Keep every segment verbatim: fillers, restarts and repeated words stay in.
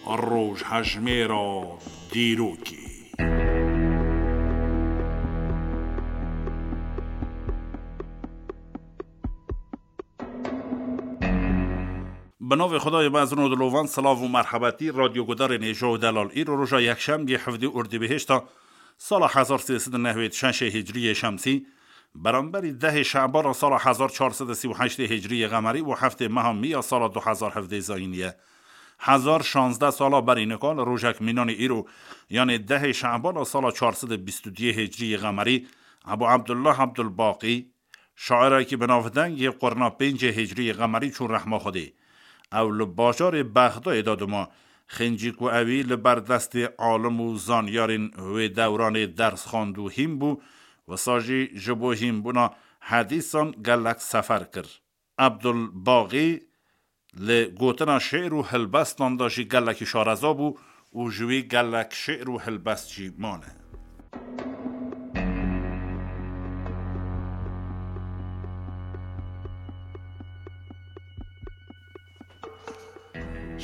Rojhejmêra dîrokê. Bi navê Xwedayê mezin û dilovan, silav û merhebetî, radyogudarên hêja û delal. Îro roja yekşemgê, hevdê Ordîbehişta sala hezar sê sed û nehwêd şeşê hicriyê şemsî, beramberî dehê Şebana sala hezar çar sed û sî û heştê hicriyê qemerî û heftê meha Mîya sala du hezar hevdê zayînî ye. Hezar şazdeh sala berî nika li rojek mînanê îro, yanê dehê Şebana sala çar sed û bîst û duyê hicriyê qemerî, Ebû Ebdullah Ebdulbaqî, şairekî bi navdeng yê qurna pêncê hicriyê qemerî çû rehma Xwedê. Ew li bajarê Bexdayê de dima. Xêncî ku ewî li ber destê alim û zanyarên wê dewranê ders xwend û hîn bû, wisa jî ji bo hînbûna hedîsan gelek sefer kir. Ebdulbaxî li gotina şê'r û hilbestan de jî gelekî şareza bû û ji wî gelek şê'r û hilbest jî mane.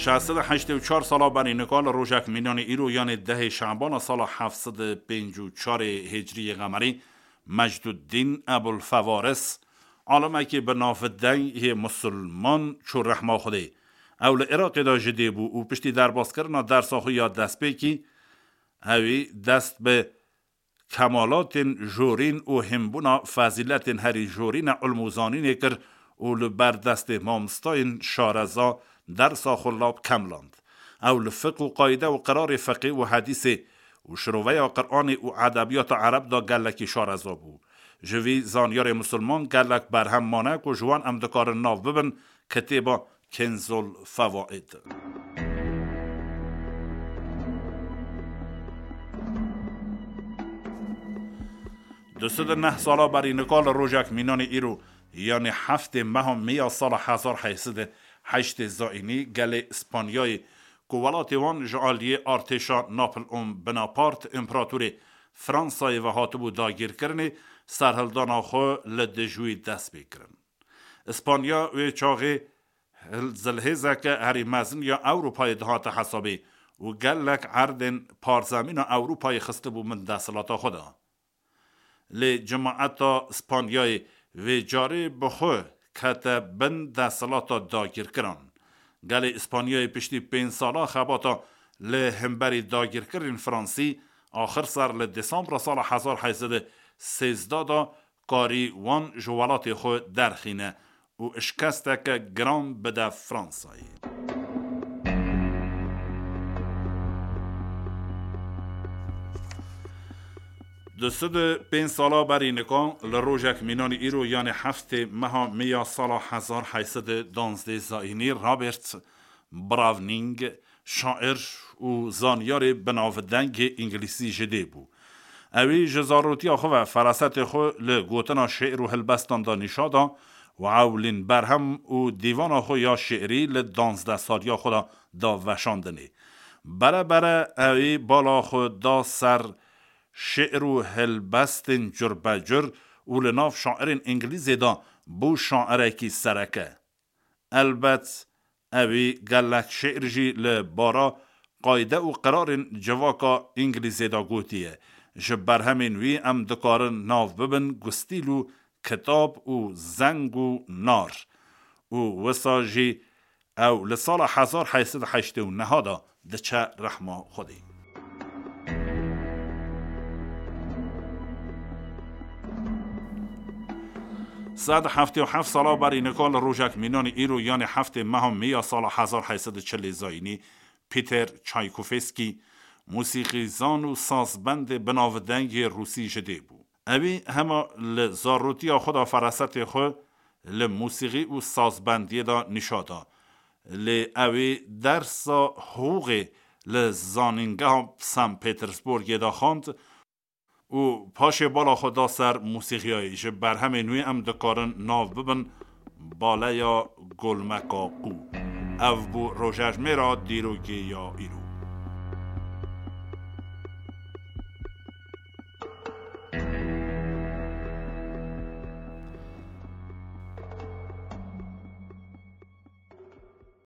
Şeş sed û heştê û çar sala berî nika li rojek mînanê îro, yanê dehê Şebana sala heft sed û pêncî û çarê hicriyê qemerî, Mecduddîn Ebul Fewaris, alimekî bi navdeng yê musulman çû rehma Xwedê. Ew li Iraqê de ji dê bû û piştî derbaskirina dersa xwe ya destpêkî, ewî dest bi kemalatên jorîn û hînbûna fezîletên herî jorîn a ilm û zanînê kir û li ber destê mamostayên şareza dersa xwe lab kemland. Ew li fiqh û qayde û qirarê fiqê û hedîsê û şiroveya Qur'anê û edebiyata ereb de gelekî şareza bû. Ji vî zanyarê musulman gelek berhem mane ku ji wan em dikarin nav bibin, kitêba Kenzul Fewaid. Du sed û neh sala berî nika li rojek mînanê îro, yanê heftê meha Mîya sala hezar heyt sed û heştê zayînî, gelê Spanyayê ku welatê wan ji aliyê artêşa Napoleon Bonaparte, împeratorê Fransayê ve hatibû dagîrkirinê, serhildana xwe li dijî wî dest pê kirin. Îspanya wê çaxê hil-, zilhêzeke herî mezin ya Ewropayê dihate hesabê û gelek erdên parzemîna Ewropayê xistibû bin desthilata xwe de. Lê cemaeta Spanyayê vê carê bi xwe kete bin desthilata dagîrkiran. Gelê Spanyayê piştî pênc sala xebata li hemberî dagîrkirên Fransî, axir ser li Desembra sala hezar heyt sed û sêzdeh de karî wan ji welatê xwe derxîne û şikesteke giran bide Fransayê. Du sed û pênc sala berî nika li rojek mînanî îro, yanê heftê meha Mîya sala hezar heyt sed û duwazdeh zayînî, Robert Browning, şair û zanyarê binavdengê îngilîzî ji dê bû. Ewî ji zarotiya xwe ve ferasetê xwe li gotina şê'r û helbestan de nîşa da û ewlîn berhem û dîvana xwe ya şêrî li duwazdeh saliya xwe de da veşandinê. Bere bere ewî bala xwe da ser şê'r û helbestên curbecur û li nav şairên îngilîzê de bû şairekî sereke. Elbet, ewî gelek şê'r jî li bara qayde û qirarên civaka îngilîzê de gotiye. Ji berhemên wî em dikarin nav bibin Gustîl û Kitab û Zeng û Nar. Û wisa jî ew li sala hezar heyt sed û heştê û neh de diçe rehma Xwedê. Sed heftê û heft sala berî nika li rojek mînanî îro, yanê heftê meha Mîya sala hezar heyt sed û çilê zayînî, Peter Çaykovskî, mûsîqîzan û sazbendê binavdeng yê rûsî ji dê bû. Ewî hema li zarotiya xwe de ferasetê xwe li mûsîqî û sazbendiyê de nîşa da. Lê ewî dersa hiqûqê li Zanîngeha San Petersburgê de xwend û paşê bala xwe da ser mûsîqiyayê. Ji berhemên wî em dikarin nav bibin Baleya Golmeka Qû. Ev bû rojejmêra dîrokê ya îro.